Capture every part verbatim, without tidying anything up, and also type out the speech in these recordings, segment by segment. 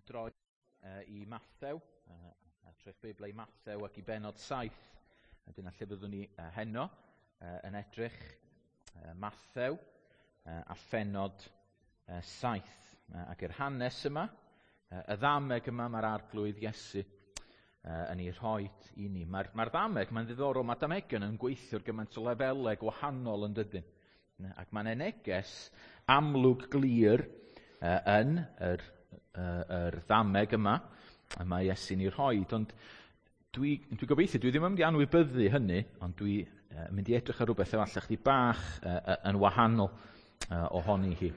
Droi uh, i Mathew, uh, troi'ch Beiblau i Mathew ac i benod saith. A dyna lle byddwn ni uh, heno uh, yn edrych uh, Mathew uh, a phenod uh, saith. Uh, ac yr hanes yma, uh, y ddameg yma mae'r Arglwydd Iesu uh, yn ei rhoi i ni. Mae'r mae ddameg, mae'n ddiddorol, mae damegion yn gweithio ar gymaint o lefelau gwahanol yn dydyn. Ac mae'n neges amlwg glir uh, yn yr yr ddameg yma y mae Iesu'n ei rhoi. Ond dwi, dwi gobeithio, dwi ddim yn mynd i anwybyddu hynny, ond dwi uh, mynd i edrych ar rhywbeth efallai chdi bach uh, yn wahanol uh, ohoni hi.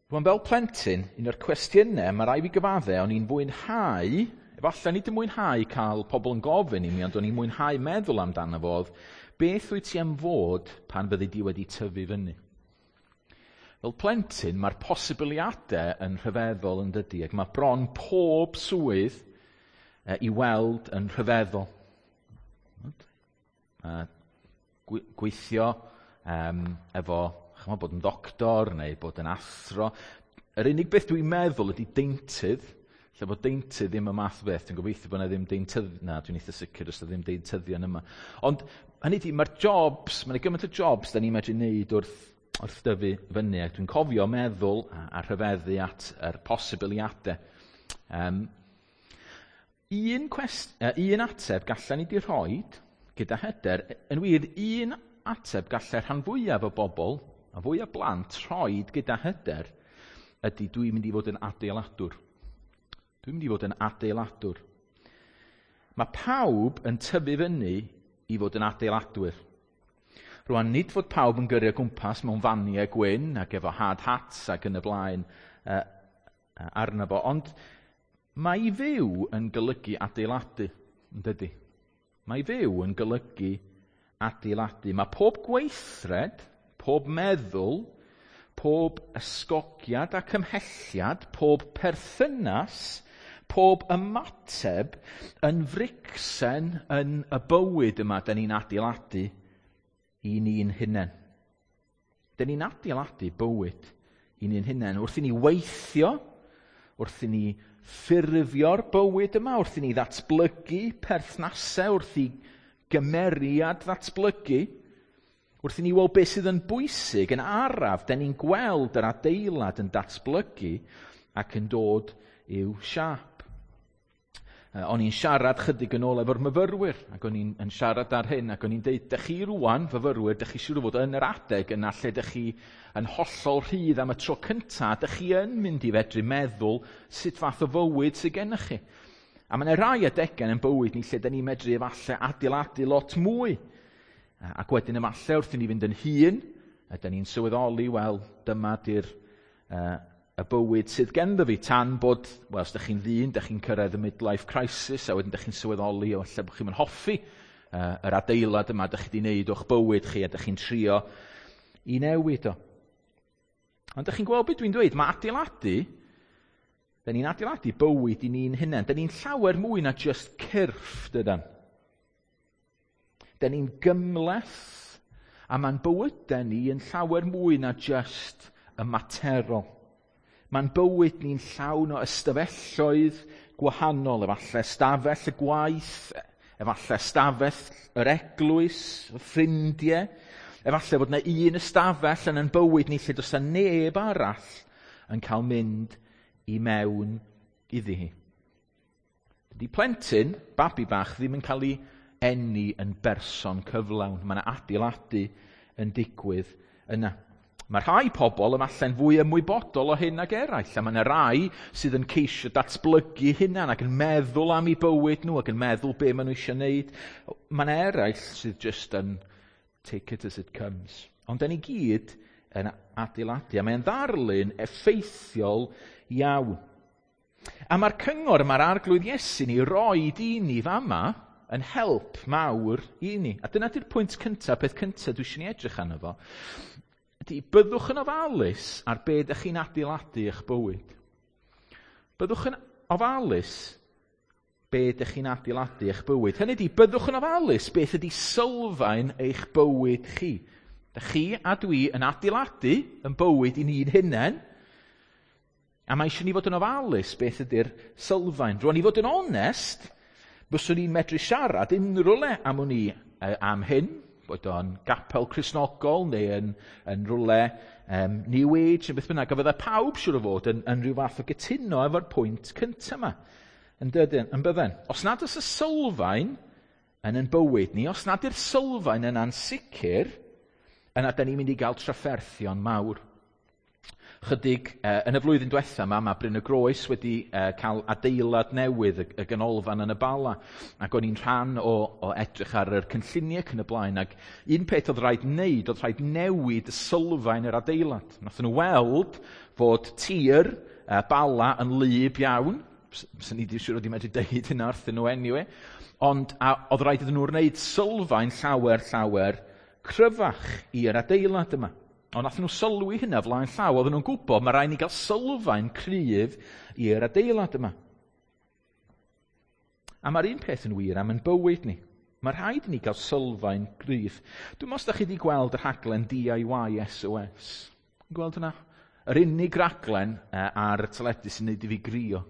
Rwan, fel plentyn, un o'r cwestiynau, mae rai fi gyfadde, o'n i'n fwynhau, efallai nid yn mwynhau cael pobl yn gofyn i mi, ond o'n i'n mwynhau meddwl amdano fo, oedd, beth wyt ti am fod pan fyddi di wedi tyfu fyny? Fel plentyn, mae'r posibiliadau yn rhyfeddol yn dydy, ac mae bron pob swydd e, i weld yn rhyfeddol. Gweithio um, efo, chymod, bod yn ddoctor neu bod yn athro. Yr unig beth dwi'n meddwl ydy deintydd, lle bod deintydd ddim y math o beth. Dwi'n gobeithio bod yna ddim deintydd, na, dwi'n eitha sicr os yna ddim deintyddion yma. Ond hynny ydy, mae'r jobs, mae'n gymaint o jobs da ni'n medru wneud wrth wrth dyfu fyny, ac dwi'n cofio meddwl a, a rhyfeddu at yr posibiliadau. Um, un, cwest, uh, un ateb gallen ni di rhoi gyda hyder, yn wir, un ateb gallai rhan fwyaf o bobl, a fwy o blant, rhoi gyda hyder, ydy dwi'n mynd i fod yn adeiladwr. Dwi'n mynd i fod yn adeiladwr. Mae pawb yn tyfu fyny i fod yn adeiladwyr. Rwan, nid fod pawb yn gyrru o gwmpas mewn faniau gwyn ac efo hard hats ac yn y blaen uh, arno fo, ond mae i fyw yn golygu adeiladu, yn dydy? Mae i fyw yn golygu adeiladu. Mae pob gweithred, pob meddwl, pob ysgogiad ac ymhelliad, pob perthynas, pob ymateb yn fricsen yn y bywyd yma da ni'n adeiladu i ni'n hunain. Dyn ni'n adeiladu bywyd i ni'n hunain. Wrth i ni weithio, wrth i ni ffurfio'r bywyd yma, wrth i ni ddatblygu perthnasau, wrth i gymeriad ddatblygu, wrth i ni weld beth sydd yn bwysig, yn araf, dyn ni'n gweld yr adeilad yn datblygu ac yn dod i'w siâp. O'n i'n siarad chydig yn ôl efo'r myfyrwyr, ac o'n i'n yn siarad ar hyn, ac o'n i'n deud, dych chi rwan, fyfyrwyr, dych chi siŵr o fod yn yr adeg yna lle dych chi yn hollol rhydd am y tro cyntaf, dych chi yn mynd i fedru meddwl sut fath o fywyd sydd gennych chi. A mae yna rai adegau yn bywyd ni lle dyn ni'n medru efallai adeiladu lot mwy. Ac wedyn efallai wrth i ni fynd yn hŷn, dyn ni'n sylweddoli, wel, dyma di'r uh, y bywyd sydd genddo fi, tan bod, wel, os ydych chi'n ddyn, ydych chi'n cyrraedd y midlife crisis, a wedyn ydych chi'n sylweddoli o lle bod chi'n hoffi uh, yr adeilad yma ydych chi wedi wneud o'ch bywyd chi, a ydych chi'n trio i newid o. Ond ydych chi'n gweld beth dwi'n dweud? Mae adeiladu, da ni'n adeiladu bywyd i ni'n hunain. Da ni'n llawer mwy na just cyrff, dydan. Da ni'n gymhleth, a mae'n bywydau ni yn llawer mwy na just y materol. Mae'n bywyd ni'n llawn o ystafelloedd gwahanol, efallai ystafell y gwaith, efallai ystafell yr eglwys, y ffrindiau, efallai fod yna un ystafell yn ein bywyd ni lle does yna neb arall yn cael mynd i mewn iddi hi. Dydy plentyn, babi bach, ddim yn cael ei eni yn berson cyflawn. Mae yna adeiladu yn digwydd yna. Mae rhai pobl yma'n fwy ymwybodol o hyn nag eraill, a mae yna rai sydd yn ceisio datblygu hynna ac yn meddwl am eu bywyd nhw ac yn meddwl be maen nhw eisiau gwneud. Mae yna eraill sydd just yn take it as it comes. Ond da ni gyd yn adeiladu, a mae'n ddarlun effeithiol iawn. A mae'r cyngor mae'r Arglwydd Iesu ni roed i ni fama yn help mawr i ni. A dyna di'r pwynt cyntaf, peth cyntaf dwi eisiau ni edrych arno fo. Ydy, byddwch yn ofalus ar be ydych chi'n adeiladu eich bywyd. Byddwch yn ofalus be ydych chi'n adeiladu eich bywyd. Hynny ydy, byddwch yn ofalus beth ydy sylfaen eich bywyd chi. Dych chi a dwi yn adeiladu yn bywyd i ni'n hunain, A mae eisiau ni fod yn ofalus beth ydy'r sylfaen. Rwan, i fod yn onest, byswn i'n medru siarad unrhyw le am wn i am hyn, bod o'n gapel Cristnogol neu yn, yn rhywle um, New Age neu beth bynnag, a fydda pawb siŵr o fod yn, yn rhyw fath o gytuno efo'r pwynt cyntaf yma. Yn dydyn, yn bydden. Os nad oes y sylfaen yn yn bywyd ni, os nad yw'r sylfaen yna'n sicr, yna da ni'n mynd i gael trafferthion mawr. Chydig, uh, yn y flwyddyn diwetha yma, mae Bryn y Groes wedi uh, cael adeilad newydd, y, y ganolfan yn y Bala, ac o'n i'n rhan o, o edrych ar yr cynlluniau ac yn y blaen, ac un peth oedd rhaid wneud, oedd rhaid newid y sylfaen yr adeilad. Nathon nhw weld fod tir uh, Bala yn wlyb iawn, sy'n ni ddim siŵr wedi medru deud hynna wrthyn nhw anyway, ond a, oedd rhaid iddyn nhw wneud sylfaen llawer, llawer cryfach i'r adeilad yma. Ond nath nhw sylwi hynna flaen llaw, oedden nhw'n gwybod mae rhaid ni gael sylfaen cryf i'r adeilad yma. A mae'r un peth yn wir am yn bywyd ni. Mae rhaid i ni gael sylfaen gryf. Dwi'n meddwl os da chi wedi gweld y rhaglen D I Y S O S. Gweld hwnna? Yr unig raglen ar y teledu sy'n neud i fi grio.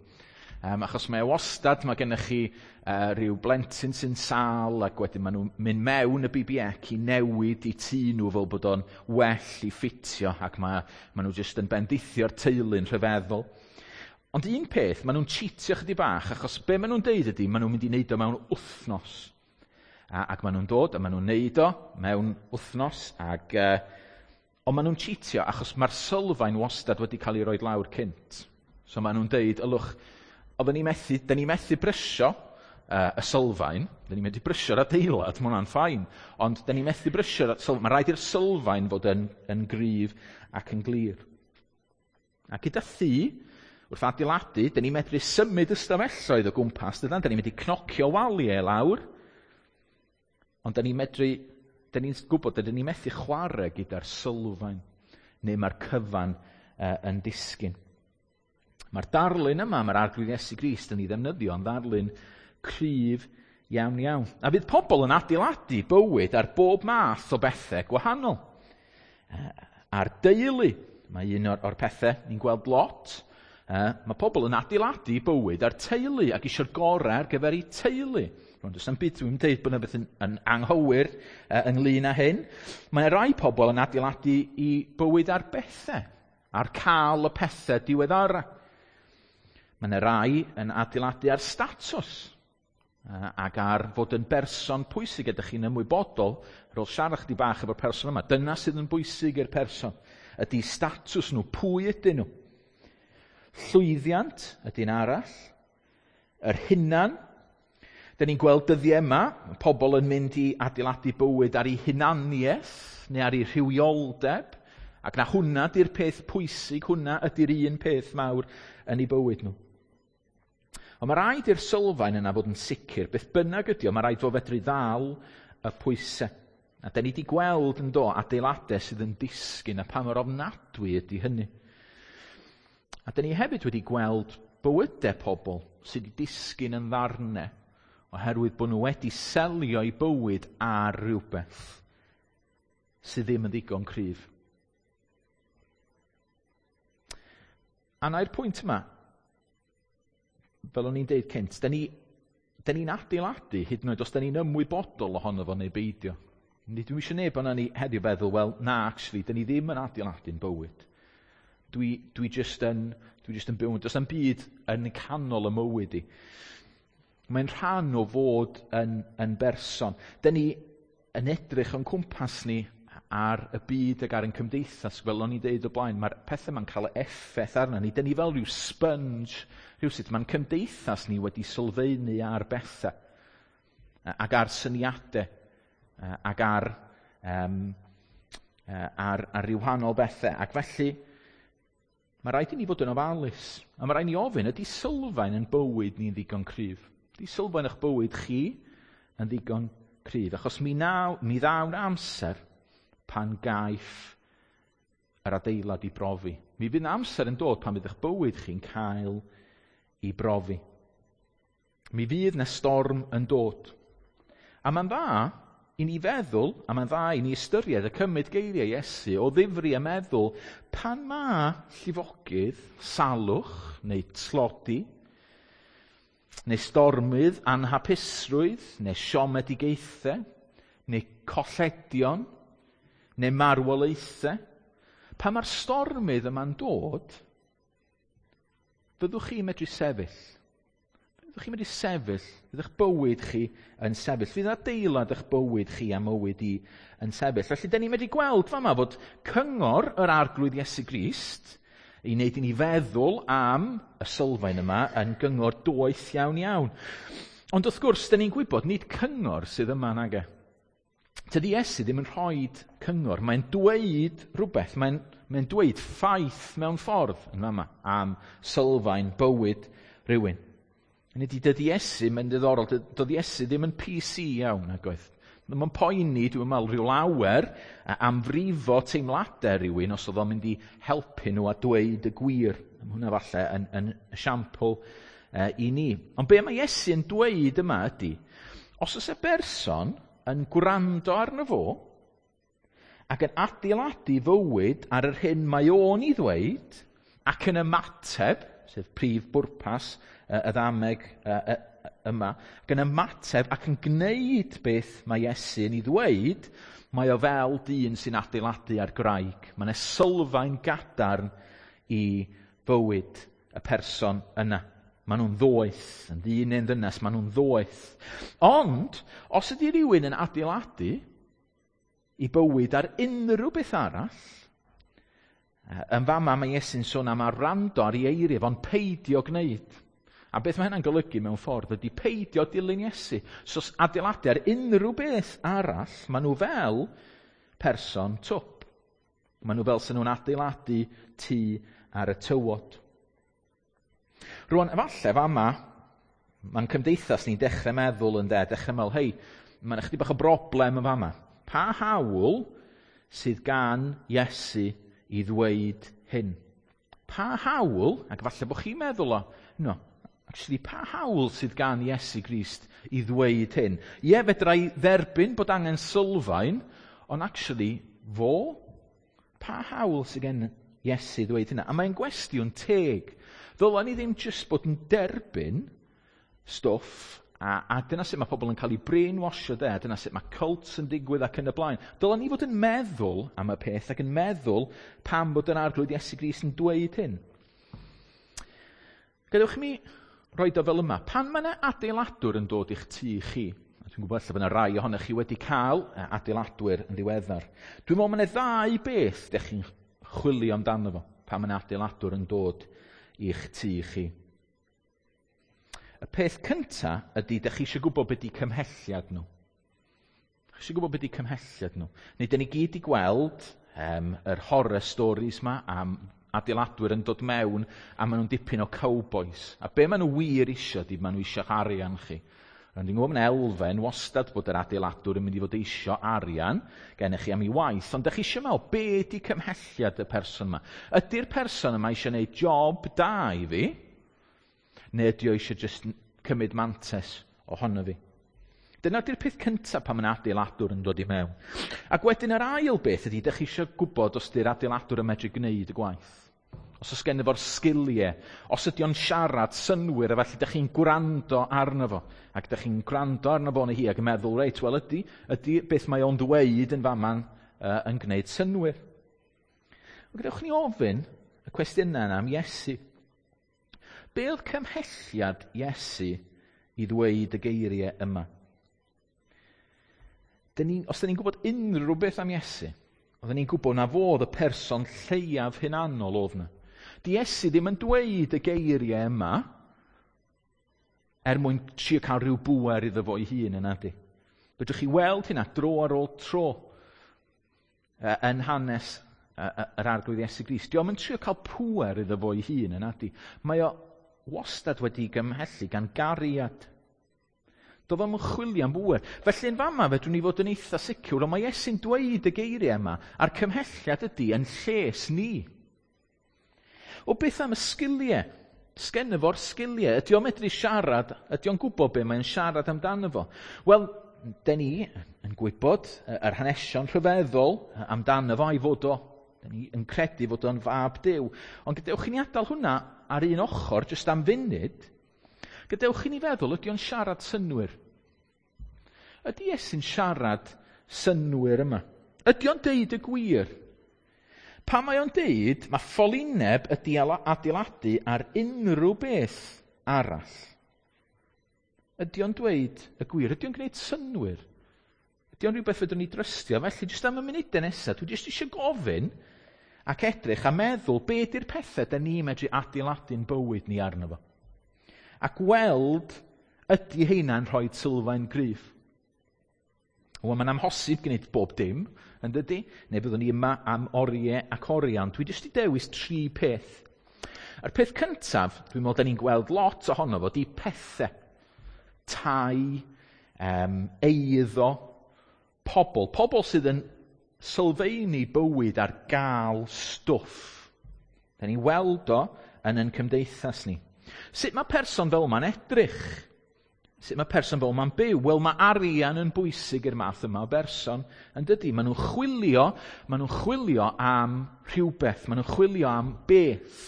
Um, achos mae wastad, mae gennych chi uh, rhyw blentyn sy'n sâl, ac wedyn maen nhw'n mynd mewn y B B C i newid i tŷ nhw fel bod o'n well i ffitio, ac mae, maen nhw jyst yn bendithio'r teulu'n rhyfeddol. Ond un peth, maen nhw'n cheatio chydig bach, achos be maen nhw'n deud ydy, maen nhw'n mynd i wneud o mewn wythnos. A, ac maen nhw'n dod a maen nhw'n neud o mewn wythnos, ac, uh, ond maen nhw'n cheatio achos mae'r sylfaen wastad wedi cael ei roed lawr cynt. So maen nhw'n deud, ylwch, oedden ni methu, da ni methu brysio uh, y sylfaen, da ni methu brysio'r adeilad, mae hwnna'n ffain, ond da ni methu brysio'r sylfaen, mae rhaid i'r sylfaen fod yn, yn gryf ac yn glir. A gyda thŷ, wrth adeiladu, da ni medru symud ystafelloedd o gwmpas, dydan, da ni medru cnocio waliau lawr, ond da ni medru, da ni'n gwybod, da ni methu chwarae gyda'r sylfaen, neu mae'r cyfan uh, yn disgyn. Mae'r darlun yma, mae'r Arglwydd Iesu Grist yn ei ddefnyddio yn ddarlun cryf iawn iawn. A fydd pobl yn adeiladu bywyd ar bob math o bethau gwahanol. Ar deulu, mae un o'r, o'r pethau ni'n gweld lot. Mae pobl yn adeiladu bywyd ar teulu ac eisiau'r gorau ar gyfer eu teulu. Rwan, does na'm byd dwi'n deud bod yna beth yn, yn anghywir ynglyn â hyn. Mae rai pobl yn adeiladu i bywyd ar bethau, ar cael y pethau diweddara. Mae yna rai yn adeiladu ar statws ac ar fod yn berson pwysig. Ydych chi'n ymwybodol, ar ôl siarad chdi bach efo'r person yma, dyna sydd yn bwysig i'r person, ydy statws nhw, pwy ydyn nhw. Llwyddiant ydy'n arall, yr hunan. Da ni'n gweld dyddiau yma, pobl yn mynd i adeiladu bywyd ar eu hunaniaeth neu ar eu rhywioldeb, ac na hwnna ydy'r peth pwysig, hwnna ydy'r un peth mawr yn eu bywyd nhw. Ond mae rhaid i'r sylfaen yna fod yn sicr, beth bynnag ydy o, mae rhaid fo fedru ddal y pwysau. A da ni wedi gweld yn do adeiladau sydd yn disgyn a pa mor ofnadwy ydy hynny. A da ni hefyd wedi gweld bywydau pobl sydd wedi disgyn yn ddarnau oherwydd bod nhw wedi selio eu bywyd ar rhywbeth sydd ddim yn ddigon cryf. A na'r pwynt yma, fel o'n i'n deud cynt, da ni, da ni'n adeiladu hyd yn oed os da ni'n ymwybodol ohono fo neu beidio. Nid dwi'm eisiau neb ohonon ni heddiw feddwl, wel, na, actually, da ni ddim yn adeiladu'n bywyd. Dwi, dwi just yn, dwi just yn byw, does na'm byd yn canol y mywyd i. Mae'n rhan o fod yn, yn berson. Da ni yn edrych o'n cwmpas ni ar y byd ac ar ein cymdeithas, fel o'n i'n deud o blaen, mae'r pethau ma'n cael effaith arna ni. Da ni fel rhyw sponge, rhywsut, mae'n cymdeithas ni wedi sylfaenu ar bethau, ac ar syniadau, ac ar, um, ar, ar ryw wahanol bethau. Ac felly, mae rhaid i ni fod yn ofalus, a mae rhaid i ni ofyn, ydy sylfaen yn bywyd ni'n ddigon cryf? Ydy sylfaen eich bywyd chi yn ddigon cryf? Achos mi, naw, mi ddaw'n amser pan gaiff yr adeilad i brofi. Mi fydd amser yn dod pan fydd eich bywyd chi'n cael i brofi. Mi fydd na storm yn dod. A mae'n dda i ni feddwl, a mae'n dda i ni ystyried y cymryd geiriau Iesu o ddifri a meddwl, pan ma llifogydd, salwch neu tlodi, neu stormydd, anhapusrwydd, neu siomedigaethau, neu colledion, neu marwolaethau, pan mae'r stormydd yma'n dod, fyddwch chi'n medru sefyll. Fyddwch chi'n medru sefyll, fydd eich bywyd chi yn sefyll. Fydd adeilad eich bywyd chi a mywyd i yn sefyll. Felly, da ni'n medru gweld fama fod cyngor yr Arglwydd Iesu Grist i wneud i ni feddwl am y sylfaen yma yn gyngor doeth iawn iawn. Ond wrth gwrs, da ni'n gwybod nid cyngor sydd yma nage. Tydi Iesu ddim yn rhoi cyngor, mae'n dweud rhywbeth, mae'n, mae'n dweud ffaith mewn ffordd yn fama am sylfaen bywyd rhywun. Hynny ydi, dydy Iesu, mae'n diddorol, dydy Iesu ddim yn P C iawn, nag oedd. Mae'n poeni, dwi'n meddwl, rhyw lawer am frifo teimladau rhywun os oedd o'n mynd i helpu nhw a dweud y gwir. Mae hwnna falle yn, yn esiampl uh, i ni. Ond be mae Iesu yn dweud yma ydy, os oes y berson yn gwrando arno fo ac yn adeiladu fywyd ar yr hyn mae o'n i ddweud ac yn ymateb, sef prif bwrpas y ddameg yma, ac yn ymateb ac yn gwneud beth mae Iesu yn ei ddweud, mae o fel dyn sy'n adeiladu ar graig. Mae yna sylfaen gadarn i fywyd y person yna. Maen nhw'n ddoeth, yn ddyn neu'n ddynes, maen nhw'n ddoeth. Ond, os ydy rhywun yn adeiladu i bywyd ar unrhyw beth arall, yn fama mae Iesu'n sôn am wrando ar ei eiriau, fo'n peidio gwneud. A beth mae hynna'n golygu mewn ffordd ydy peidio dilyn Iesu. So, adeiladu ar unrhyw beth arall, maen nhw fel person twp. Maen nhw fel sy'n nhw'n adeiladu tŷ ar y tywod. Rwan, efallai fama, mae'n cymdeithas ni'n dechrau meddwl yn de, dechrau meddwl, hei, mae'n ychydig bach o broblem yn fama. Pa hawl sydd gan Iesu i ddweud hyn? Pa hawl, ac falle bod chi'n meddwl o, no, actually, pa hawl sydd gan Iesu Grist i ddweud hyn? Ie, fedra i dderbyn bod angen sylfaen, ond actually, fo, pa hawl sydd gen Iesu ddweud hynna? A mae'n gwestiwn teg. Ddylen ni ddim jyst bod yn derbyn stwff, a, a dyna sut mae pobl yn cael eu brainwashio de, dyna sut mae cults yn digwydd ac yn y blaen. Dylen ni fod yn meddwl am y peth ac yn meddwl pam bod yr Arglwydd Iesu Grist yn dweud hyn. Gadewch i mi roed o fel yma. Pan mae yna adeiladwr yn dod i'ch tŷ chi, a dwi'n gwybod lle bod yna rai ohonych chi wedi cael adeiladwyr yn ddiweddar. Dwi'n meddwl mae yna ddau beth dych chi'n chwilio amdano fo pan mae yna adeiladwr yn dod i'ch tŷ chi. Y peth cynta ydy, dych chi eisiau gwybod beth ydy cymhelliad nhw. Chi eisiau gwybod beth ydy cymhelliad nhw. Neu dyn ni gyd i gweld um, yr horror stories ma am adeiladwyr yn dod mewn a maen nhw'n dipyn o cowboys. A be maen nhw wir isio ydy, maen nhw eisiau arian chi. Ond dwi'n gwybod mae'n elfen wastad bod yr adeiladwr yn mynd i fod eisio arian gennych chi am ei waith, ond dych chi eisiau meddwl, be ydy cymhelliad y person yma? Ydy'r person yma eisiau gwneud job da i fi, neu ydy o eisiau just cymryd mantes ohono fi? Dyna ydy'r peth cyntaf pan mae'n adeiladwr yn dod i mewn. Ac wedyn yr ail beth ydy, dych chi eisiau gwybod os ydy'r adeiladwr yn medru gwneud y gwaith. Os oes gen efo'r sgiliau, os ydy o'n siarad synwyr, a felly dych chi'n gwrando arno fo. Ac dych chi'n gwrando arno fo neu hi ac yn meddwl, reit, wel ydy, ydy beth mae o'n dweud yn fama'n uh, yn gwneud synwyr. Gadewch ni ofyn y cwestiynau yna am Iesu. Be oedd cymhelliad Iesu i ddweud y geiriau yma? Dyn ni, os dyn ni'n gwybod unrhyw beth am Iesu, oedden ni'n gwybod na fodd y person lleiaf hunanol oedd yna. Di Iesu ddim yn dweud y geiriau yma er mwyn trio cael rhyw bŵer iddo fo ei hun yna di. Fedrwch chi weld hynna dro ar ôl tro yn hanes yr Arglwydd Iesu Grist. Di o'm yn trio cael pŵer iddo fo ei hun yna di. Mae o wastad wedi gymhellu gan gariad. Doedd o'm yn chwilio am bŵer. Felly yn fama fedrwn ni fod yn eitha sicr, ond mae Iesu'n dweud y geiriau yma, a'r cymhelliad ydy yn lles ni. O beth am y sgiliau? Sgenno fo'r sgiliau? Ydy o'n medru siarad? Ydy o'n gwybod be mae'n siarad amdano fo? Wel, den ni yn yn gwybod yr hanesion rhyfeddol amdano fo a'i fod o, da ni yn credu fod o'n fab Duw. Ond gadewch i ni adael hwnna ar un ochr, jyst am funud. Gadewch i ni feddwl, ydy o'n siarad synnwyr? Ydy Iesu'n siarad synnwyr yma? Ydy o'n deud y gwir? Pan mae o'n deud, mae ffolineb ydy adeiladu ar unrhyw beth arall. Ydy o'n dweud y gwir? Ydy o'n gwneud synnwyr? Ydy o'n rhywbeth fedrwn ni drystio? Felly, jyst am y munudau nesaf, dwi jyst eisiau gofyn ac edrych a meddwl be ydy'r pethau da ni medru adeiladu'n bywyd ni arno fo. A gweld ydy heina'n rhoi sylfaen gryf. Wel, mae'n amhosib gwneud bob dim, yn dydy? Neu byddwn ni yma am oriau ac oriau, ond dwi jyst i dewis tri peth. A'r peth cyntaf, dwi'n meddwl da ni'n gweld lot ohono fo, di pethau. Tai, um, eiddo, pobl. Pobl sydd yn sylfaenu bywyd ar gael stwff. Da ni'n weld o yn ein cymdeithas ni. Sut mae person fel yma'n edrych? Sut mae person fel yma'n byw? Wel, mae arian yn bwysig i'r math yma o berson, yn dydy? Maen nhw'n chwilio, maen nhw'n chwilio am rhywbeth, maen nhw'n chwilio am beth.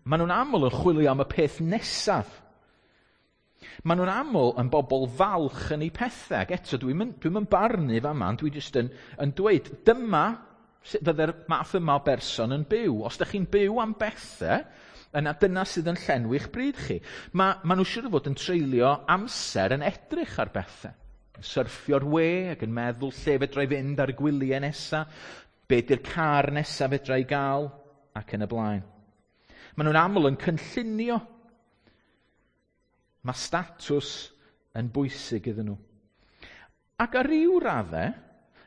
Maen nhw'n aml yn chwilio am y peth nesaf. Maen nhw'n aml yn bobl falch yn eu pethau. Ac eto, dwi'n dwi yn barnu fama, ond dwi jyst yn, yn dweud, dyma sut fydde'r math yma o berson yn byw. Os ydych chi'n byw am bethau, yna dyna sydd yn llenwi'ch bryd chi. Mae ma nhw siŵr o fod yn treulio amser yn edrych ar bethau. Syrffio'r we ac yn meddwl lle fedra i fynd ar y gwyliau nesaf, be di'r car nesaf fedra i gael, ac yn y blaen. Maen nhw'n aml yn cynllunio. Mae statws yn bwysig iddyn nhw. Ac ar ryw raddau,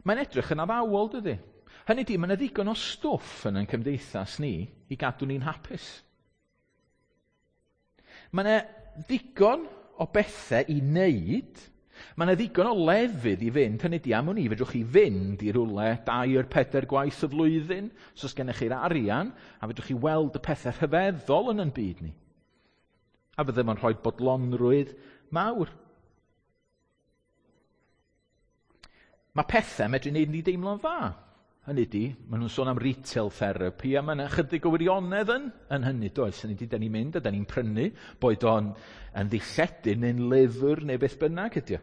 mae'n edrych yn addawol, dydy? Hynny di, mae yna ddigon o stwff yn ein cymdeithas ni i gadw ni'n hapus. Mae yna ddigon o bethau i wneud, mae yna ddigon o lefydd i fynd, hynny di, am wn i, fedrwch chi fynd i rywle dair, pedair gwaith y flwyddyn, os oes gennych chi'r arian, a fedrwch chi weld y pethau rhyfeddol yn ein byd ni. A fydde fo'n rhoi bodlonrwydd mawr. Mae pethau medru wneud ni deimlo'n dda. Hynny di, maen nhw'n sôn am retail therapy, a mae yna chydig o wirionedd yn, yn hynny, does? Hynny di, da ni'n mynd a da ni'n prynu, boed o'n yn ddilledyn neu'n lyfr neu beth bynnag ydi o.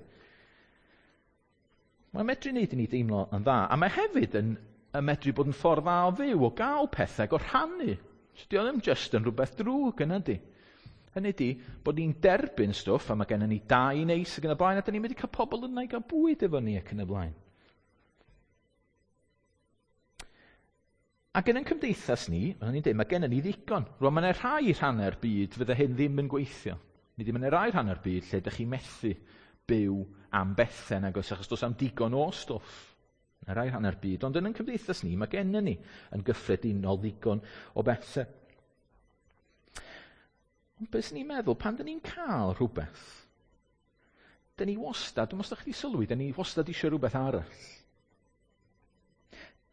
Mae'n medru wneud i ni deimlo yn dda, a mae hefyd yn, yn medru bod yn ffordd dda o fyw, o gael pethau, o rhannu. So, di o ddim just yn rhywbeth drwg yna di. Hynny di, bod ni'n derbyn stwff, a mae gennym ni dau neis ac yn y blaen, a da ni'n mynd i cael pobl yna i gael bwyd efo ni ac yn y blaen. Ac yn ein cymdeithas ni, o'n i'n dweud, mae gennym ni ddigon. Rwan, mae yna rhai rhannau'r byd fydde hyn ddim yn gweithio. Nid mae yna rai rhannau'r byd lle ydych chi'n methu byw am bethau nag oes, achos does am digon o stwff. Mae rai rhannau'r byd, ond yn ein cymdeithas ni, mae gennym ni yn gyffredinol ddigon o bethau. Ond beth sy'n ni'n meddwl, pan dyn ni'n cael rhywbeth, dyn ni wastad, dwi'n meddwl chi sylwi, dyn ni wastad eisiau rhywbeth arall.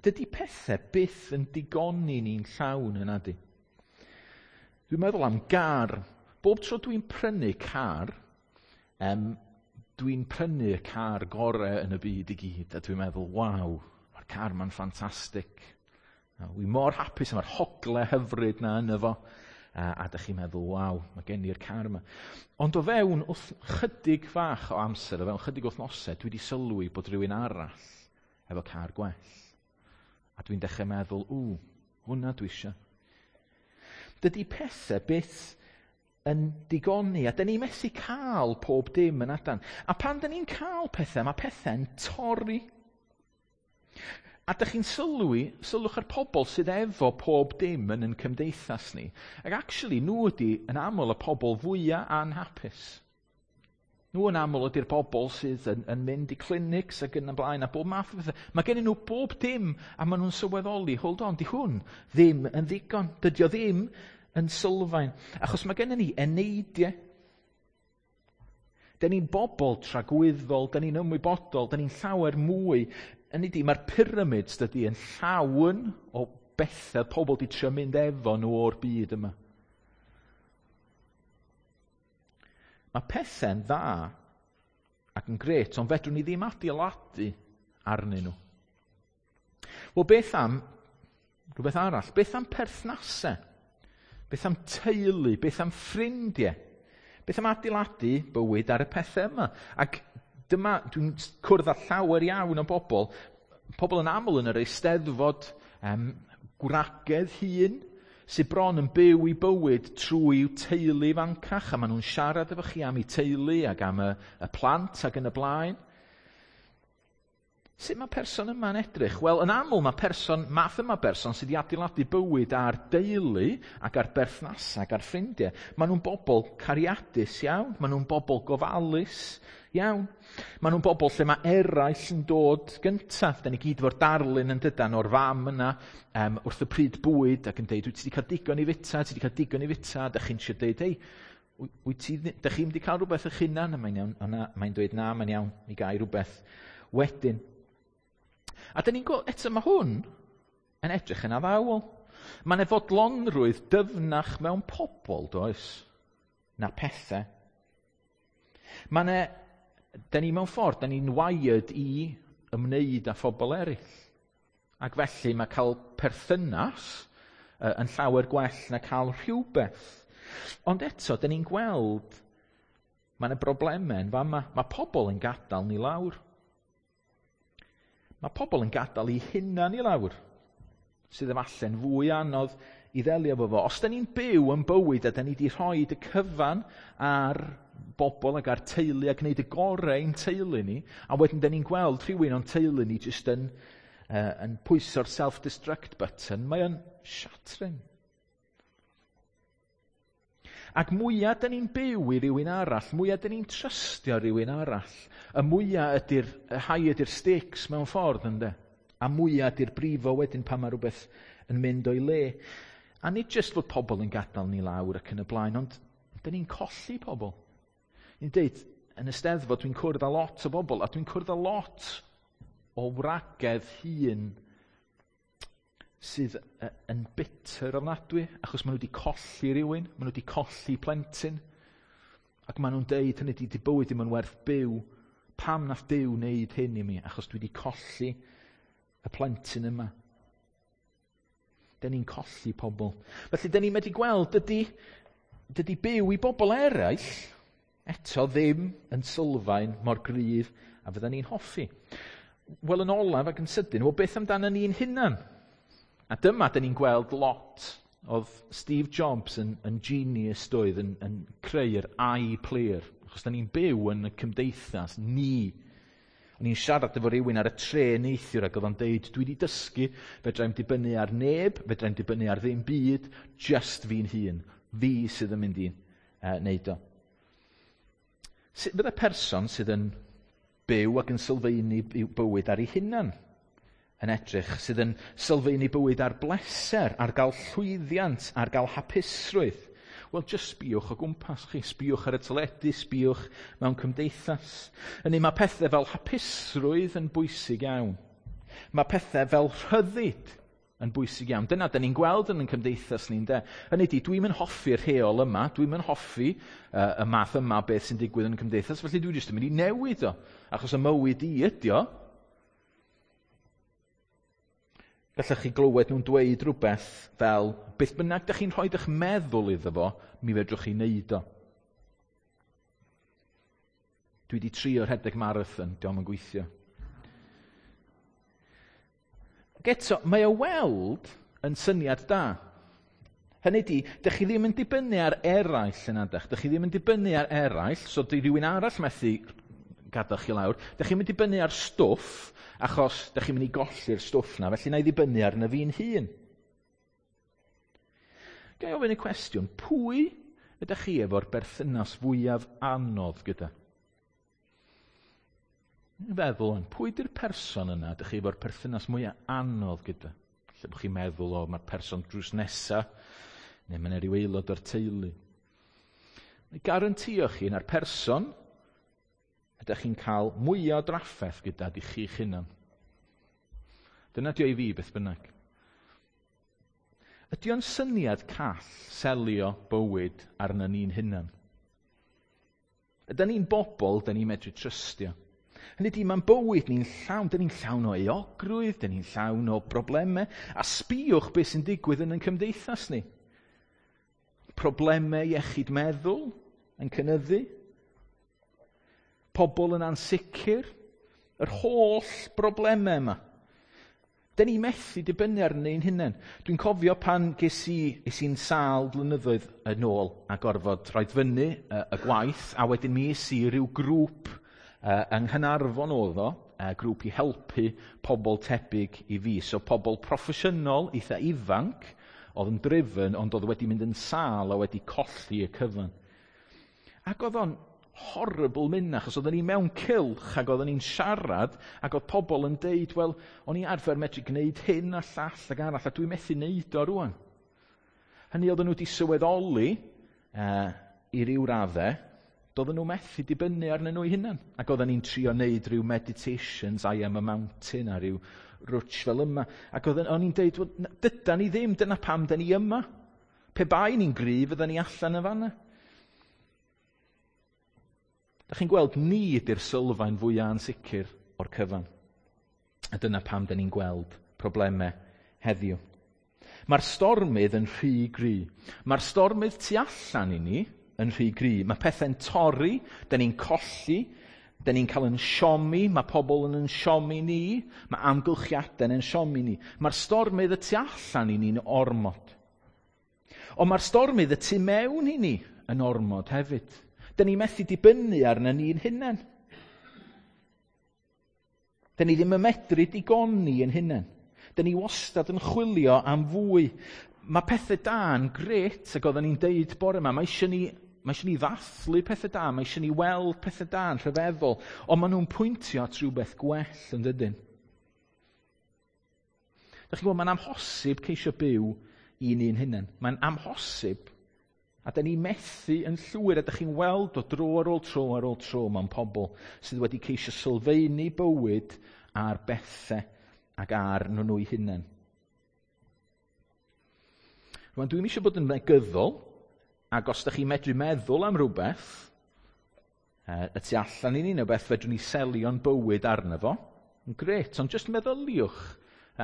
Dydy pethau byth yn digoni ni'n llawn yna di. Dwi'n meddwl am gar. Bob tro dwi'n prynu car, um, dwi'n prynu y car gorau yn y byd i gyd, a dwi'n meddwl, waw, mae'r car ma'n ffantastig. Wi mor hapus am yr hogle hyfryd na yno fo. A, a dych chi'n meddwl, waw, mae gen i'r car yma. Ond o fewn wrth chydig fach o amser, o fewn chydig wythnosau, dwi wedi sylwi bod rhywun arall efo car gwell. A dwi'n dechrau meddwl, ww, hwnna dwi eisiau. Dydy pethau byth yn digoni, a dyn ni methu cael pob dim yn adan. A pan dyn ni'n cael pethau, mae pethau'n torri. A dych chi'n sylwi, sylwch ar pobl sydd efo pob dim yn ein cymdeithas ni. Ac actually, nhw ydy yn aml y pobl fwyaf anhapus. Nhw yn aml ydy'r pobl sydd yn, yn mynd i clinics ac yn y blaen a bob math o bethau. Mae gennyn nhw bob dim a maen nhw'n sylweddoli, hold on, di hwn ddim yn ddigon. Dydy o ddim yn sylfaen. Achos mae gennyn ni eneidiau. Dyn ni'n bobl tragwyddol, dyn ni'n ymwybodol, dyn ni'n llawer mwy. Hynny ydi, mae'r pyramids dydy yn llawn o bethau pobl di trio mynd efo nhw o'r byd yma. Mae pethau'n dda ac yn gret, ond fedrwn ni ddim adeiladu arnyn nhw. Wel, beth am rhywbeth arall? Beth am perthnasau? Beth am teulu? Beth am ffrindiau? Beth am adeiladu bywyd ar y pethau yma? Ac dyma, dwi'n cwrdd â llawer iawn o bobl, pobl yn aml yn yr Eisteddfod, um, gwragedd hŷn, sydd bron yn byw i bywyd trwy i'w teulu fancach, a maen nhw'n siarad efo chi am eu teulu ac am y, y plant ac yn y blaen. Sut mae person yma'n edrych? Wel, yn aml mae person, math yma berson sydd wedi adeiladu bywyd ar deulu ac ar berthnasau ac ar ffrindiau. Maen nhw'n bobl cariadus iawn, maen nhw'n bobl gofalus iawn. Maen nhw'n bobl lle mae eraill yn dod gyntaf. Da ni gyd efo'r darlun yn dydan o'r fam yna um, wrth y pryd bwyd ac yn deud, wyt ti wedi cael digon i fita, ti wedi cael digon i fita, da chi'n siarad deud, hei, wyt ti, da chi'n wedi cael rhywbeth eich hunan? A mae'n iawn, na, mae'n dweud, na, mae'n iawn, mi gai rhywbeth wedyn. A dyn ni'n gweld, eto mae hwn yn edrych yn addawol. Mae'n fodlonrwydd dyfnach mewn pobl, does, na pethau. Mae'n e, dyn ni mewn ffordd, dyn ni'n wired i ymwneud â phobl eraill. Ac felly mae cael perthynas uh, yn llawer gwell na cael rhywbeth. Ond eto, dyn ni'n gweld mae yna broblemau yn fama. Mae pobl yn gadael ni lawr. Mae pobl yn gadael eu hunan i lawr, sydd efallai'n fwy anodd i ddelio efo fo. Os da ni'n byw yn bywyd a da ni wedi rhoi y cyfan ar bobl ac ar teulu a gwneud y gorau i'n teulu ni, a wedyn da ni'n gweld rhywun o'n teulu ni jyst yn, uh, yn pwyso'r self-destruct button, mae o'n shattering. Ac mwyaf da ni'n byw i rywun arall, mwyaf da ni'n trystio rhywun arall, y mwyaf ydy'r, y high ydy'r stakes mewn ffordd, ynddo? A mwyaf ydy'r brifo wedyn pan mae rhywbeth yn mynd o'i le. A nid jyst fod pobl yn gadael ni lawr ac yn y blaen, ond da ni'n colli pobl. Ni'n deud, yn y Steddfod dwi'n cwrdd â lot o bobl, a dwi'n cwrdd â lot o wragedd hŷn sydd yn bitter ofnadwy, achos maen nhw wedi colli rhywun, maen nhw wedi colli plentyn, ac maen nhw'n deud, hynny di, di bywyd ddim yn werth byw, pam nath Duw wneud hyn i mi, achos dwi wedi colli y plentyn yma. Dyn ni'n colli pobl. Felly, dyn ni'n medru gweld, dydy, dydy byw i bobl eraill, eto ddim yn sylfaen mor gryf a fydden ni'n hoffi. Wel, yn olaf ac yn sydyn, wel, beth amdano ni'n hunan? A dyma, dyn ni'n gweld lot. Oedd Steve Jobs yn, yn genius doedd, yn, yn creu'r iPlayer. Achos dyn ni'n byw yn y cymdeithas, ni. O'n i'n siarad efo rhywun ar y trên neithiwr ac oedd o'n deud, dwi wedi dysgu, fedrai'm dibynnu ar neb, fedrai'm dibynnu ar ddim byd, just fi'n hun. Fi sydd yn mynd i uh, wneud o. Sut bydde person sydd yn byw ac yn sylfaenu bywyd ar ei hunan yn edrych, sydd yn sylfaenu bywyd ar bleser, ar gael llwyddiant, ar gael hapusrwydd? Wel, just sbïwch o gwmpas chi, sbïwch ar y teledu, sbïwch mewn cymdeithas. Hynny, mae pethau fel hapusrwydd yn bwysig iawn. Mae pethau fel rhyddid yn bwysig iawn. Dyna, dyn ni'n gweld yn ein cymdeithas ni'n de. Hynny di, dwi'm yn hoffi'r rheol yma, dwi'm yn hoffi uh, y math yma beth sy'n digwydd yn y cymdeithas, felly dwi jyst yn mynd i newid o, achos y mywyd i ydi o. Gallech chi glywed nhw'n dweud rhywbeth fel, beth bynnag dych chi'n rhoi eich meddwl iddo fo, mi fedrwch chi wneud o. Dwi wedi trio rhedeg marathon, dio'm yn gweithio. Ac eto, mae o weld yn syniad da. Hynny di, dych chi ddim yn dibynnu ar eraill yn adach. Dych chi ddim yn dibynnu ar eraill, so di rhywun arall methu gadael chi lawr. Dych chi'n mynd i dibynnu ar stwff, achos dych chi'n mynd i golli'r stwff na, felly na i ddibynnu arno fi'n hun. Ga i ofyn y cwestiwn, pwy ydych chi efo'r berthynas fwyaf anodd gyda? Feddwl, pwy di'r person yna ydych chi efo'r perthynas mwyaf anodd gyda? Lle bod chi'n meddwl, o, mae'r person drws nesa, neu mae'n rhyw aelod o'r teulu. Neu garantio chi na'r person ydych chi'n cael mwyaf o drafferth gyda di chi'ch hunan. Dyna di o i fi beth bynnag. Ydy o'n syniad call selio bywyd arna ni'n hunan? Ydy ni'n bobl, dyn ni'n medru trystio. Hynny ydy, mae'n bywyd ni'n llawn, dyn ni'n llawn o euogrwydd, dyn ni'n llawn o broblemau, a sbïwch beth sy'n digwydd yn ein cymdeithas ni. Problemau iechyd meddwl yn cynyddu, pobl yn ansicr, yr holl broblemau yma. Dyn ni methu dibynnu arnyn ni'n hunain. Dwi'n cofio pan ges i, es i'n sâl blynyddoedd yn ôl a gorfod rhoi fyny y, y gwaith, a wedyn mi es i ryw grŵp uh, yng Nghaernarfon oedd o, uh, grŵp i helpu pobl tebyg i fi. So pobl proffesiynol, eitha ifanc, oedd yn driven, ond oedd wedi mynd yn sâl a wedi colli y cyfan. Ac oedd o'n horrible mynd, achos oedden ni mewn cylch ac oedden ni'n siarad ac oedd pobl yn deud, wel, o'n i arfer medru gwneud hyn a llall ac arall a dwi'n methu wneud o rwan. Hynny oedden nhw wedi sylweddoli uh, i ryw raddau, doedden nhw methu dibynnu arnyn nhw eu hunain. Ac oedden ni'n trio wneud rhyw meditations, I am a mountain, a rhyw rwtsh fel yma. Ac oedden, o'n i'n deud, well, dydan ni ddim, dyna pam da ni yma. Pe bai ni'n gryf, fydden ni allan yn fanna. Da chi'n gweld, ni ydy'r sylfaen fwyaf ansicr o'r cyfan. A dyna pam da ni'n gweld problemau heddiw. Mae'r stormydd yn rhy gry. Mae'r stormydd tu allan i ni yn rhy gry. Mae pethau'n torri, da ni'n colli, da ni'n cael yn siomi, mae pobl yn yn siomi ni, mae amgylchiadau'n yn siomi ni. Mae'r stormydd y tu allan i ni'n ormod. Ond mae'r stormydd y tu mewn i ni yn ormod hefyd. Da ni methu dibynnu arna ni'n hunain. Da ni ddim yn medru digoni yn hunain. Da ni wastad yn chwilio am fwy. Mae pethau da yn grêt, ac oedden ni'n deud bore yma, mae eisiau ni, mae eisiau ni ddathlu pethau da, mae eisiau ni weld pethau da yn rhyfeddol, ond maen nhw'n pwyntio at rhywbeth gwell yn dydyn. Da chi'n gwybod, mae'n amhosib ceisio byw i ni'n hunain. Mae'n amhosib. A da ni methu yn llwyr, a da chi'n weld o dro ar ôl tro ar ôl tro mewn pobl sydd wedi ceisio sylfaenu bywyd ar bethau ac ar nhw nhw'i hunain. Rwan, dwi'n eisiau bod yn negyddol, ac os da chi'n medru meddwl am rhywbeth, y tu allan i ni, neu beth fedrwn ni selio'n bywyd arno fo, yn grêt, ond jyst meddyliwch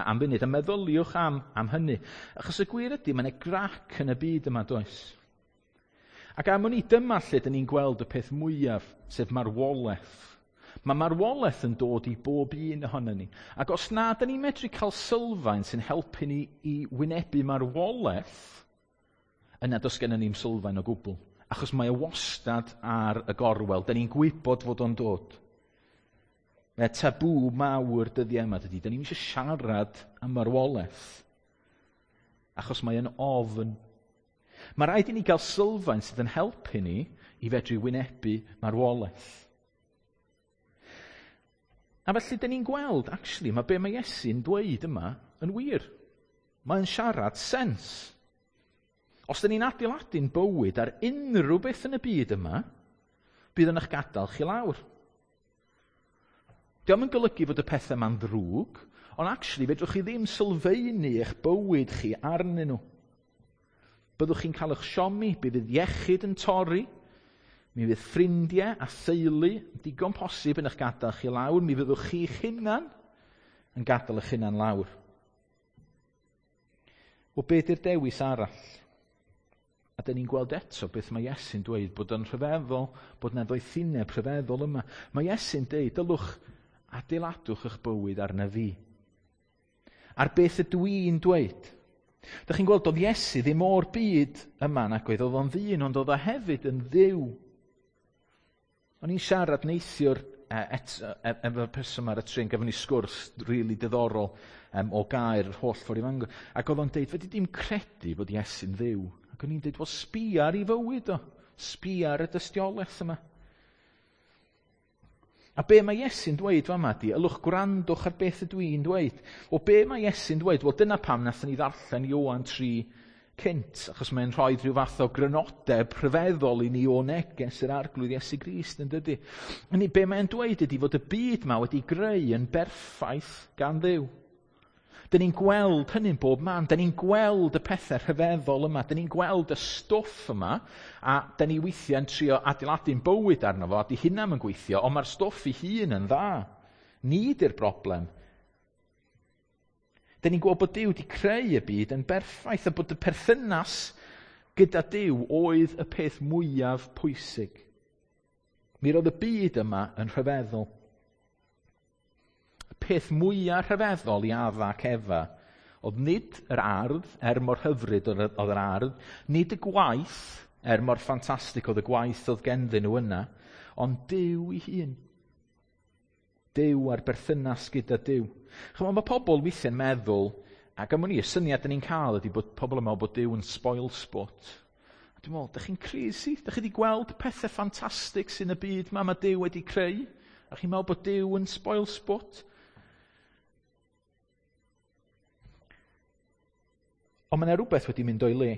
am funud, a meddyliwch am, am hynny. Achos y gwir ydy, mae yna grac yn y byd yma, does? Ac am wn i, dyma lle dyn ni'n gweld y peth mwyaf, sef marwolaeth. Mae marwolaeth yn dod i bob un ohono ni. Ac os na, dyn ni'n medru cael sylfaen sy'n helpu ni i wynebu marwolaeth, yna does gennym ni'm sylfaen o gwbl. Achos mae o wastad ar y gorwel. Dyn ni'n gwybod fod o'n dod. Mae tabŵ mawr dyddiau yma, dydy. Dyn ni'n eisiau siarad am marwolaeth. Achos mae yn ofn. Mae rhaid i ni gael sylfaen sydd yn helpu ni i fedru wynebu marwolaeth. A felly, dyn ni'n gweld, actually, mae be mae Iesu'n dweud yma yn wir. Mae'n siarad sens. Os dyn ni'n adeiladu'n bywyd ar unrhyw beth yn y byd yma, bydd yn eich gadael chi lawr. Dio'm yn golygu fod y pethau yma'n ddrwg, ond actually, fedrwch chi ddim sylfaenu eich bywyd chi arnyn nhw. Byddwch chi'n cael eich siomi, bydd iechyd yn torri, mi fydd ffrindiau a theulu digon posib yn eich gadael chi lawr, mi fyddwch chi'ch hunan yn gadael eich hunan lawr. Wel, be di'r dewis arall? A dyn ni'n gweld eto beth mae Iesu'n dweud, bod yn rhyfeddol, bod yna ddoethineb rhyfeddol yma. Mae Iesu'n dweud, dylwch adeiladwch eich bywyd arna fi. Ar beth ydw i'n dweud? Dych chi'n gweld, oedd Iesu ddim o'r byd yma, nag oedd, oedd o'n ddyn, ond oedd o hefyd yn Dduw. O'n i'n siarad neithiwr efo'r person ar y tren, gafon ni sgwrs rili really diddorol um, o gair yr holl ffordd i Fangor. Ac oedd o'n deud, fedri di'm credu bod Iesu'n Dduw. Ac o'n i'n deud, wel, sbia ar ei fywyd o. Sbia ar y dystiolaeth yma. A be mae Iesu'n dweud fama di, ylwch gwrandwch ar beth ydw i'n dweud. O be mae Iesu'n dweud? Wel, dyna pam nathon ni ddarllen Ioan tri cynt, achos mae'n rhoi rhyw fath o grynodeb rhyfeddol i ni o neges yr Arglwydd Iesu Grist, yn dydy. Hynny, be mae'n dweud ydy fod y byd yma wedi greu yn berffaith gan Dduw. Dyn ni'n gweld hynny'n bob man. Dyn ni'n gweld y pethau rhyfeddol yma. Dyn ni'n gweld y stwff yma, a dyn ni weithiau'n trio adeiladu'n bywyd arno fo, a di hynna yn gweithio, ond mae'r stwff ei hun yn dda. Ni di'r broblem. Dyn ni'n gweld bod Duw wedi creu y byd yn berffaith, a bod y perthynas gyda Duw oedd y peth mwyaf pwysig. Mi roedd y byd yma yn rhyfeddol. Y peth mwyaf rhyfeddol i Adda ac Efa oedd nid yr ardd, er mor hyfryd oedd yr ardd, nid y gwaith, er mor ffantastig oedd y gwaith oedd genddyn nhw yna, ond Duw ei hun. Duw a'r berthynas gyda Duw. Chymod, mae pobl weithiau'n meddwl, ac am wn i, y syniad dyn ni'n cael ydy bod pobl yn meddwl bod Duw yn spoil sport. A dwi'n meddwl, dych chi'n crazy? Dych chi wedi gweld pethau ffantastig sy'n y byd ma mae Duw wedi creu? A chi'n meddwl bod Duw yn spoil sport? Ond mae yna rhywbeth wedi mynd o'i le.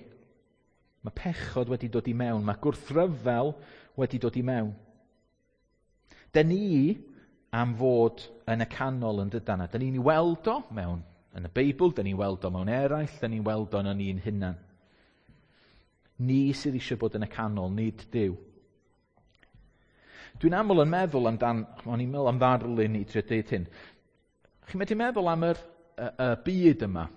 Mae pechod wedi dod i mewn, mae gwrthryfel wedi dod i mewn. Dyn ni am fod yn y canol yn dydan. Dyn ni'n weld o mewn yn y Beibl, dyn ni'n weld o mewn eraill, dyn ni'n weld o yn ni'n hunan. Ni sydd eisiau bod yn y canol, nid Duw. Dwi'n aml yn meddwl amdan, o'n i'n meddwl am ddarlun i drio deud hyn. Chi'n medru meddwl am yr, y, y byd yma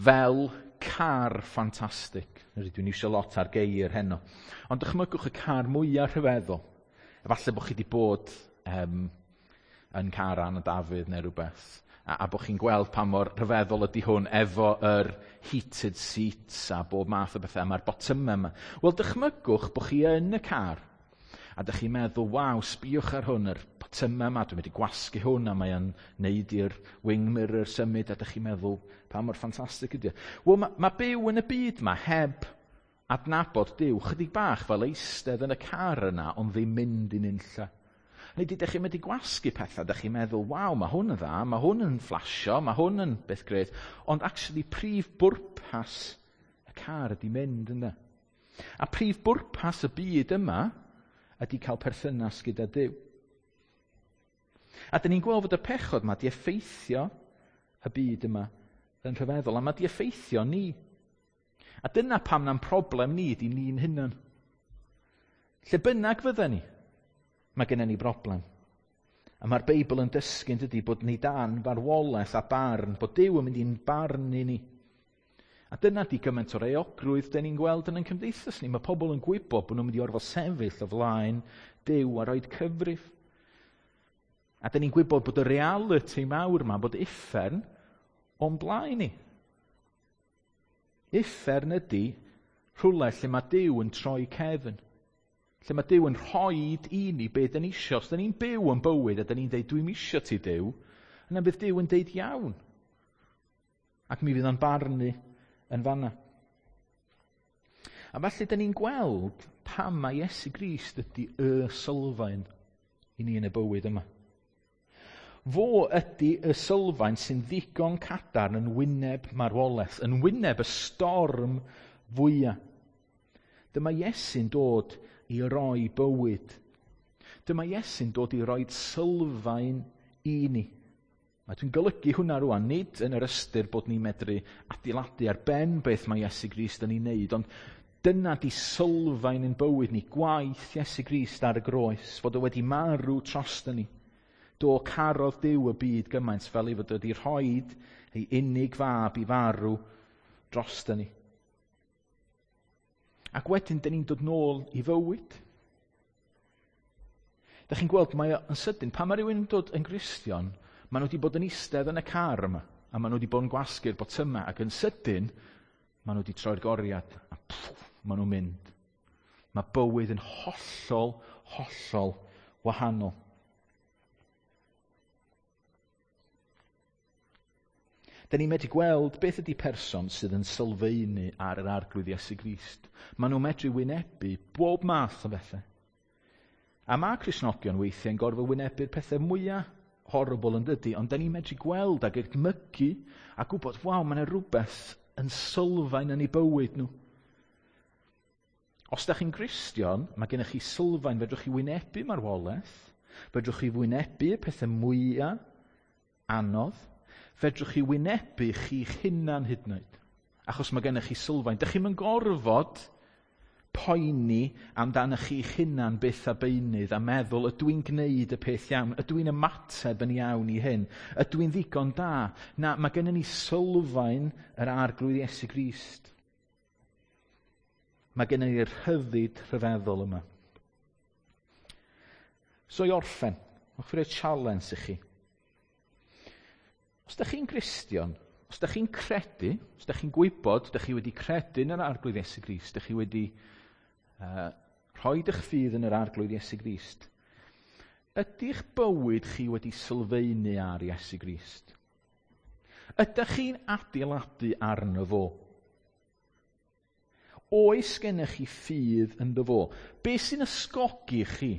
fel car ffantastig. Dwi'n eisiau lot ar geir heno. Ond dychmygwch y car mwyaf rhyfeddol. Efallai bod chi wedi bod um, yn car Anna Dafydd neu rhywbeth. A, a bod chi'n gweld pa mor rhyfeddol ydy hwn efo yr heated seats a bob math o bethau. Mae'r botymau yma. Wel, dychmygwch bod chi yn y car. A dych chi'n meddwl, waw, sbiwch ar hwn, yr botymau yma, dwi'n mynd i gwasgu hwn, a mae o'n neud i'r wing mirror symud, a dych chi'n meddwl, pa mor ffantastig ydy o. Wel, mae, mae byw yn y byd yma heb adnabod Duw, chydig bach fel eistedd yn y car yna, ond ddim mynd i'n unlla. Neu dych chi'n mynd i gwasgu pethau, dych chi'n meddwl, waw, mae hwn yn dda, mae hwn yn flasio, mae hwn yn beth gret, ond actually prif bwrpas y car ydy mynd yna. A prif bwrpas y byd yma ydy cael perthynas gyda Duw. A dyn ni'n gweld fod y pechod yma di effeithio y byd yma yn rhyfeddol, a mae di effeithio ni. A dyna pam na'n problem ni ydy ni'n hunan. Lle bynnag fydda ni, mae gennym ni broblem. A mae'r Beibl yn dysgu yn dydy bod ni dan farwolaeth a barn, bod Duw yn mynd i'n barnu ni. A dyna di gymaint o'r euogrwydd dyn ni'n gweld yn ein cymdeithas ni. Mae pobl yn gwybod bod nhw'n mynd i orfod sefyll o flaen Duw a roed cyfrif. A dyn ni'n gwybod bod y reality mawr yma, bod uffern o'n blaen ni. Uffern ydy rhywle lle mae Duw yn troi cefn. Lle mae Duw yn rhoid i ni be dyn ni isio. Os dyn ni'n byw yn bywyd a dyn ni'n deud, dwi'n isio ti Duw, yna bydd Duw yn deud iawn. Ac mi fydd o'n barnu yn fanna. A felly, dyn ni'n gweld pam mae Iesu Grist ydy y sylfaen i ni yn y bywyd yma. Fo ydy y sylfaen sy'n ddigon cadarn yn wyneb marwolaeth, yn wyneb y storm fwyaf. Dyma Iesu'n dod i roi bywyd. Dyma Iesu'n dod i roi sylfaen i ni. A dwi'n golygu hwnna rwan, nid yn yr ystyr bod ni'n medru adeiladu ar ben beth mae Iesu Grist yn ei wneud, ond dyna di sylfaen yn bywyd ni, gwaith Iesu Grist ar y groes, fod o wedi marw drosto ni. Do carodd Duw y byd gymaint fel ei fod wedi rhoid ei unig fab i farw drosto ni. Ac wedyn, dyn ni'n dod nôl i fywyd. Dych chi'n gweld, mae yn sydyn, pan mae rhywun yn dod yn Gristion, maen nhw wedi bod yn eistedd yn y car yma, a maen nhw wedi bod yn gwasgu'r botymau, ac yn sydyn, maen nhw wedi troi'r goriad, a pwff, maen nhw'n mynd. Mae bywyd yn hollol, hollol wahanol. Dyn ni'n medru gweld beth ydy person sydd yn sylfaenu ar yr Arglwydd Iesu Grist. Maen nhw'n medru wynebu bob math o bethau. A mae Cristnogion weithiau'n gorfod wynebu'r pethau mwyaf horrible yn dydy, ond dyn ni'n medru gweld ac edmygu a gwybod, waw, mae yna rhywbeth yn sylfaen yn eu bywyd nhw. Os da chi'n Gristion, mae gennych chi sylfaen, fedrwch chi wynebu marwolaeth, fedrwch chi wynebu y pethau mwyaf anodd, Fedrwch chi wynebu chi'ch hunan hyd yn oed, achos mae gennych chi sylfaen. Dych chi'm yn gorfod poeni amdano chi'ch hunan byth a beunydd a meddwl, ydw i'n gwneud y peth iawn? Ydw i'n ymateb yn iawn i hyn? Ydw i'n ddigon da? Na, mae gennym ni sylfaen yr Arglwydd Iesu Grist. Mae gennym ni'r rhyddid rhyfeddol yma. So i orffen, hoffwn i roi challenge i chi. Os ydych chi'n Gristion, os ydych chi'n credu, os ydych chi'n gwybod, ydych chi wedi credu yn yr Arglwydd Iesu Grist, ydych chi wedi uh, rhoi eich ffydd yn yr Arglwydd Iesu Grist, ydy'ch bywyd chi wedi sylfaenu ar Iesu Grist? Ydych chi'n adeiladu arno fo? Oes gennych chi ffydd ynddo fo? Be sy'n ysgogi chi?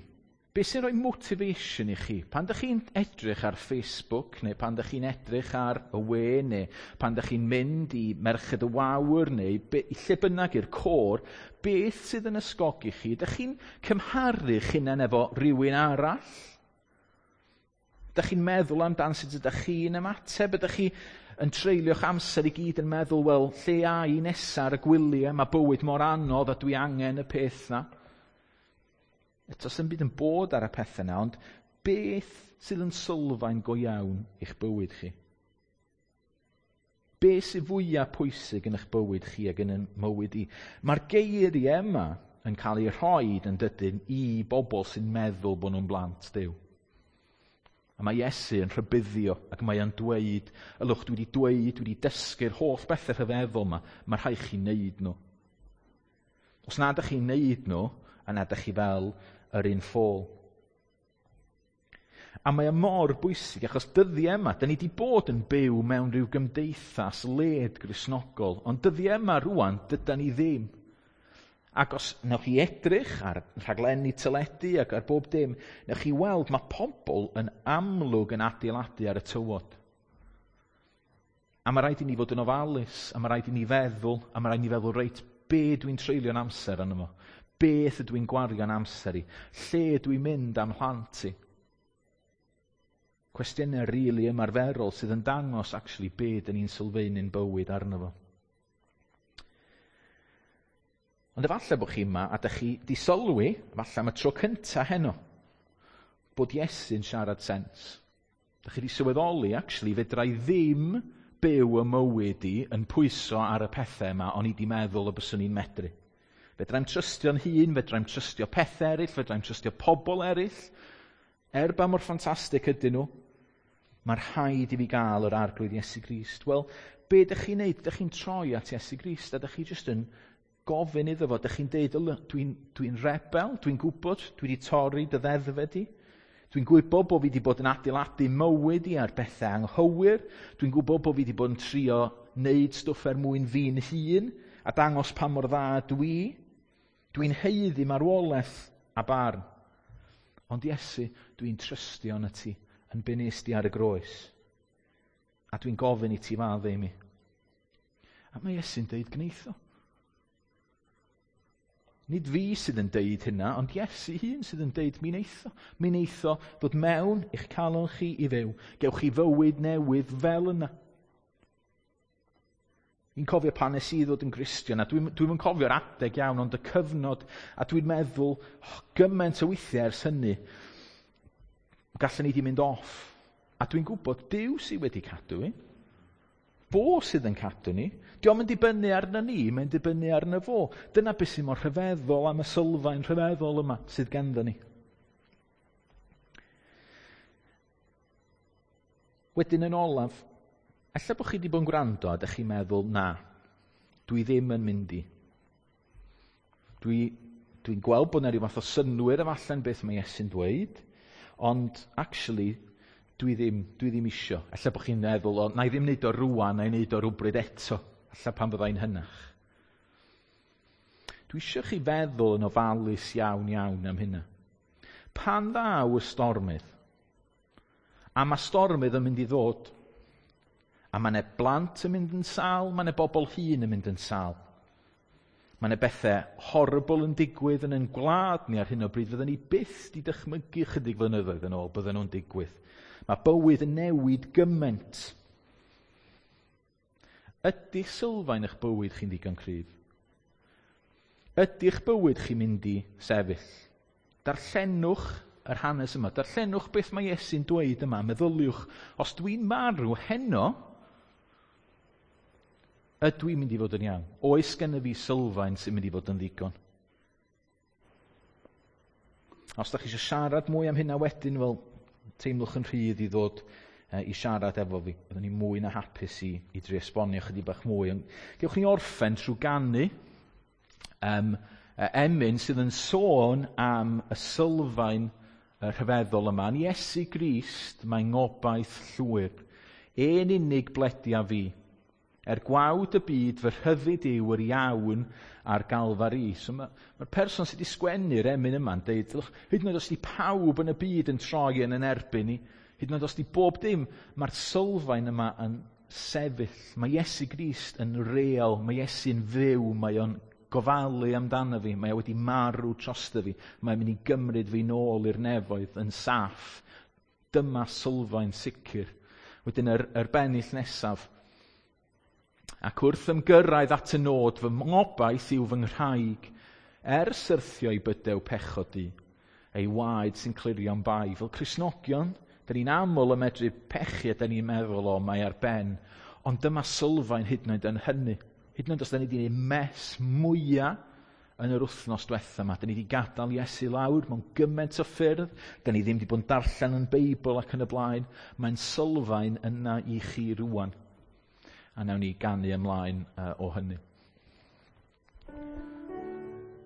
Be sy'n rhoi motivation i chi? Pan ydych chi'n edrych ar Facebook, neu pan ydych chi'n edrych ar y we, neu pan ydych chi'n mynd i Merched y Wawr, neu be, lle bynnag i'r côr, beth sydd yn ysgogi chi? Ydych chi'n cymharu'ch hunan efo rhywun arall? Ydych chi'n meddwl amdan sut ydych chi'n ymateb? Ydych chi yn treulio'ch amser i gyd yn meddwl, wel, lle a i nesaf ar y gwyliau, mae bywyd mor anodd a dwi angen y peth na. Eto, sy'n byd yn bod ar y pethau yna, ond beth sydd yn sylfaen go iawn i'ch bywyd chi? Beth sydd fwyaf pwysig yn eich bywyd chi ac yn y mywyd i? Mae'r geiriau yma yn cael eu rhoi yn dydyn i bobl sy'n meddwl bod nhw'n blant Duw. A mae Iesu yn rhybuddio ac mae o'n dweud, ylwch, dwi wedi dweud, dwi wedi dysgu'r holl bethau rhyfeddol yma, mae rhaid chi wneud nhw. Os nad ydych chi'n wneud nhw, a nad ydych chi fel yr un ffôl. A mae o mor bwysig, achos dyddiau yma, da ni wedi bod yn byw mewn rhyw gymdeithas led Gristnogol, ond dyddiau yma rwan, dyda ni ddim. Ac os newch chi edrych ar rhaglenni teledu ac ar bob dim, newch chi weld mae pobl yn amlwg yn adeiladu ar y tywod. A mae rhaid i ni fod yn ofalus, a mae rhaid i ni feddwl, a mae rhaid i ni feddwl, reit, be dwi'n treulio'n amser arno fo? Beth ydw i'n gwario'n amser i? Lle ydw i'n mynd am mhlant i? Cwestiynau rili really ymarferol sydd yn dangos actually be dyn ni'n sylfaenu'n bywyd arno fo. Ond efallai bod chi yma a dych chi di sylwi, efallai am y tro cynta heno, bod Iesu'n siarad sens. Dych chi di sylweddoli, actually, fedra i ddim byw y mywyd i yn pwyso ar y pethau yma, o'n i di meddwl y byswn i'n medru. Fedrai'm trystio'n hun, fedrai'm trystio pethau eraill, fedrai'm trystio pobl eraill. Er ba mor ffantastig ydyn nhw, mae rhaid i fi gael yr Arglwydd Iesu Grist. Wel, be ydych chi'n neud? Ydych chi'n troi at Iesu Grist a ydych chi jyst yn gofyn iddo fo. Ydych chi'n deud, dwi'n dwi rebel, dwi'n gwybod, dwi wedi torri dy ddeddfau di. Dwi'n gwybod bod fi wedi bod yn adeiladu mywyd i ar bethau anghywir. Dwi'n gwybod bod fi wedi bod yn trio wneud stwff er mwyn fi'n hun a dangos pa mor dda dwi. Dwi'n haeddu marwolaeth a barn. Ond Iesu, dwi'n trystio yn y ti, yn be nes di ar y groes. A dwi'n gofyn i ti faddau i mi. A mae Iesu'n deud gneitho. Nid fi sydd yn deud hynna, ond Iesu hun sydd yn deud mi neitho. Mi neitho ddod mewn i'ch calon chi i fyw. Gewch chi fywyd newydd fel yna. Fi'n cofio pan nes i ddod yn Gristion, a dwi'n dwi cofio'r adeg iawn, ond y cyfnod, a dwi'n meddwl, oh, gymaint o weithiau ers hynny, gallen ni di mynd off. A dwi'n gwybod, Duw sydd wedi cadw i. Fo sydd yn cadw ni. Dio'm yn dibynnu arno ni, mae'n dibynnu arno fo. Dyna beth sy'n mor rhyfeddol am y sylfaen rhyfeddol yma sydd ganddo ni. Wedyn yn olaf, ella bod chi wedi bod yn gwrando a ydych chi'n meddwl, na, dwi ddim yn mynd i. Dwi, dwi'n gweld bod yna rhyw fath o synnwyr efallai'n beth mae Iesu'n dweud, ond actually, dwi ddim, dwi ddim isio. Ella bod chi'n meddwl, o, na i ddim wneud o rwan, na i wneud o rhywbryd eto. Ella pan fyddai'n hynach. Dwi isio chi feddwl yn ofalus iawn iawn am hynna. Pan ddaw y stormydd, a mae stormydd yn mynd i ddod, a mae yna blant yn mynd yn sâl, mae yna bobl hŷn yn mynd yn sâl. Mae yna bethau horrible yn digwydd yn ein gwlad ni ar hyn o bryd. Fydden ni byth di dychmygu chydig flynyddoedd yn ôl, bydden nhw'n digwydd. Mae bywyd yn newid gymaint. Ydy sylfaen eich bywyd chi'n ddigon cryf? Ydy'ch bywyd chi'n mynd i sefyll? Darllenwch yr hanes yma. Darllenwch beth mae Iesu'n dweud yma. Meddyliwch, os dwi'n marw heno, ydw i'n mynd i fod yn iawn? Oes gennyf fi sylfaen sy'n mynd i fod yn ddigon? Os da chi eisiau siarad mwy am hynna wedyn, wel, teimlwch yn rhydd i ddod i siarad efo fi. Byddwn ni mwy na hapus i, i drio esbonio chydig bach mwy. Ond gewch ni orffen trwy ganu um, emyn sydd yn sôn am y sylfaen rhyfeddol yma. Yn Iesu Grist mae ngobaith llwyr. Ein unig bledia fi. Er gwawd y byd fy rhyddid yw yr iawn a'r Galfari. So mae'r ma person sydd wedi sgwennu'r emyn yma'n deud, hyd yn oed os di pawb yn y byd yn troi yn yn erbyn i, hyd yn oed os di bob dim, mae'r sylfaen yma yn sefyll. Mae Iesu Grist yn real, mae Iesu'n fyw, mae o'n gofalu amdano fi, mae o wedi marw drosto fi, mae'n mynd i gymryd fi nôl i'r nefoedd yn saff. Dyma sylfaen sicr. Wedyn yr, yr bennill nesaf. Ac wrth ymgyrraedd at y nod, fy ngobaith yw fy nghraig, er syrthio i bydew pechod i, ei waed sy'n clirio'n bai. Fel Cristnogion, da ni'n aml yn medru pechu a da ni'n meddwl, o, mae ar ben. Ond dyma sylfaen hyd yn oed yn hynny. Hyd yn oed os da ni wedi gwneud mess mwyaf yn yr wythnos diwetha yma. Da ni wedi gadael Iesu lawr mewn gymaint o ffyrdd. Da ni ddim wedi bod yn darllen yn Beibl ac yn y blaen. Mae'n sylfaen yna i chi rwan. A nawn ni ganu ymlaen uh, o hynny.